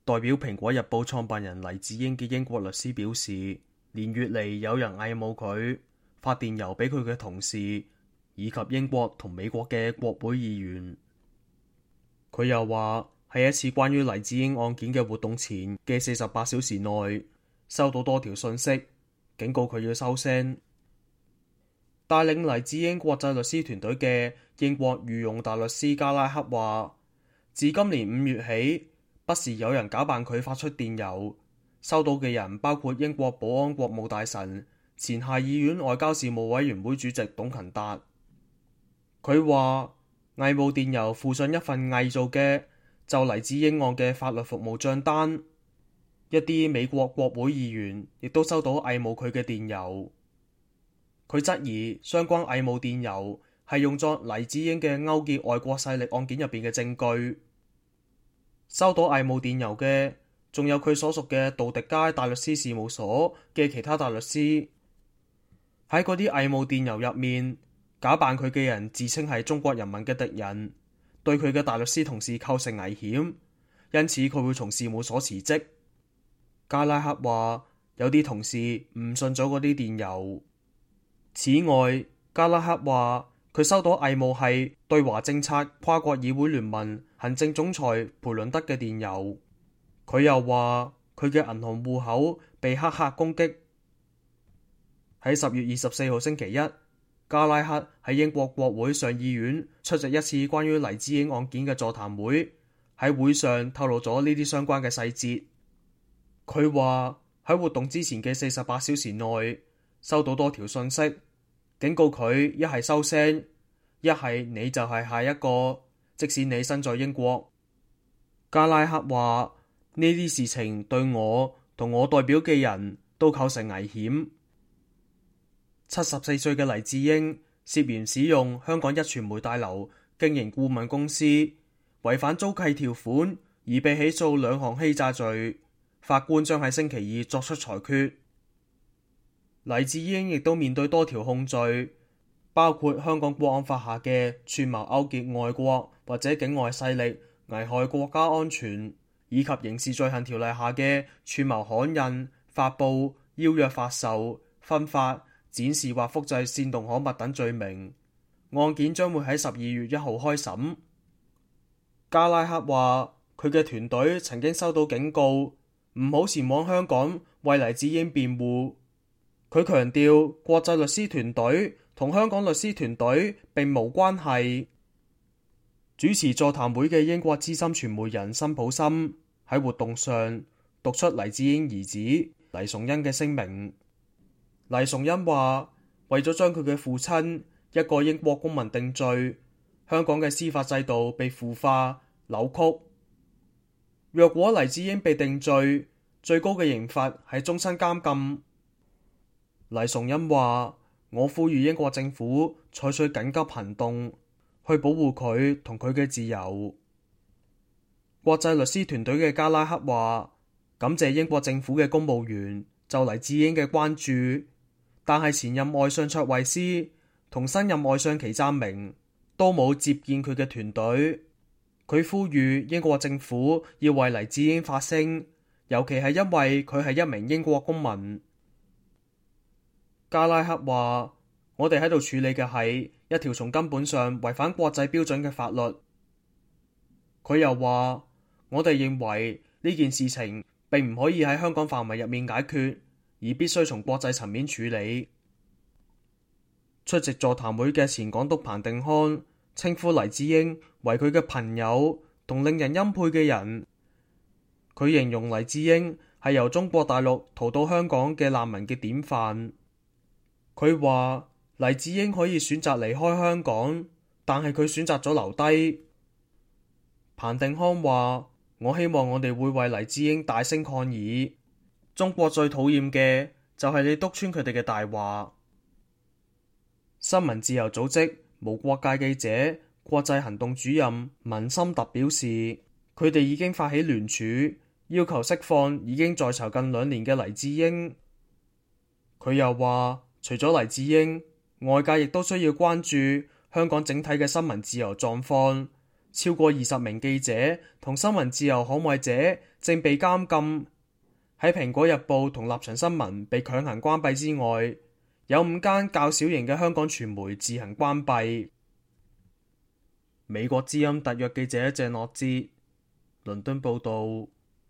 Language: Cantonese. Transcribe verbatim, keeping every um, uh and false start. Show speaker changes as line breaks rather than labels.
代表蘋果日報創辦人黎智英嘅英國律師表示，連月嚟有人偽冒佢，發電郵俾佢嘅同事，以及英國同美國嘅國會議員。佢又話喺一次關於黎智英案件嘅活動前嘅四十八小時內，收到多條信息，警告佢要收聲。帶領黎智英國際律師團隊嘅英國御用大律師加拉克話，自今年五月起，不時有人假扮佢發出電郵，收到嘅人包括英國保安國務大臣、前下議院外交事務委員會主席董勤達。佢話偽冒電郵附上一份偽造嘅就黎智英案嘅法律服務賬單，一啲美國國會議員亦都收到偽冒佢嘅電郵。佢質疑相關偽冒電郵係用作黎智英嘅勾結外國勢力案件入邊嘅證據。收到偽冒電郵嘅仲有佢所屬嘅杜迪街大律師事務所嘅其他大律師。喺嗰啲偽冒電郵入面，假扮佢嘅人自稱係中國人民嘅敵人，對佢嘅大律師同事構成危險，因此佢會從事務所辭職。加拉克話有啲同事誤信咗嗰啲電郵。此外，加拉克話佢收到偽冒係對華政策跨國議會聯盟行政總裁培倫德嘅電郵。佢又話佢嘅銀行戶口被黑客攻擊。喺十月二十四號星期一，加拉克喺英國國會上議院出席一次關於黎智英案件嘅座談會，喺會上透露咗呢啲相關嘅細節。佢話喺活動之前嘅四十八小時內收到多條信息，警告佢一係收聲，一係你就係下一個，即使你身在英國。加拉克話呢啲事情對我同我代表嘅人都構成危險。七十四歲嘅黎智英涉嫌使用香港一傳媒大樓經營顧問公司，違反租契條款而被起訴兩項欺詐罪。法官將喺星期二作出裁決。黎智英亦都面對多條控罪，包括香港國安法下嘅串謀勾結外國或者境外勢力危害國家安全，以及刑事罪行條例下嘅串謀刊印、發布、邀約發售、分發、展示或複製煽動刊物等罪名。案件將會喺十二月一號開審。加拉克話佢嘅團隊曾經收到警告，唔好前往香港為黎智英辯護。佢強調國際律師團隊同香港律師團隊並無關係。主持座談會嘅英國資深傳媒人辛普森喺活動上讀出黎智英兒子黎崇恩嘅聲明。黎崇恩話為咗將佢嘅父親一個英國公民定罪，香港嘅司法制度被腐化扭曲。若果黎智英被定罪，最高嘅刑罰係終身監禁。黎崇恩話：我呼籲英國政府採取緊急行動，去保護佢同佢嘅自由。國際律師團隊嘅加拉克話：感謝英國政府嘅公務員就黎智英嘅關注，但係前任外相卓慧思同新任外相祁湛明都冇接見佢嘅團隊。佢呼籲英國政府要為黎智英發聲，尤其係因為佢係一名英國公民。加拉克話：我哋喺度處理嘅係一條從根本上違反國際標準嘅法律。佢又話：我哋認為呢件事情並唔可以喺香港範圍入面解決，而必須從國際層面處理。出席座談會嘅前港督彭定康稱呼黎智英為佢嘅朋友同令人欽佩嘅人。佢形容黎智英係由中國大陸逃到香港嘅難民嘅典範。佢話黎智英可以選擇離開香港，但係佢選擇咗留低。彭定康話：我希望我哋會為黎智英大聲抗議。中國最討厭嘅就係你督穿佢哋嘅大話。新聞自由組織無國界記者國際行動主任文森特表示，佢哋已經發起聯署，要求釋放已經在囚近兩年嘅黎智英。佢又話，除咗黎智英，外界亦都需要關注香港整體嘅新聞自由狀況，超過二十名記者同新聞自由捍衛者正被監禁。喺蘋果日報同立場新聞被強行關閉之外，有五間較小型嘅香港傳媒自行關閉。美國之音特約記者鄭樂之倫敦報道。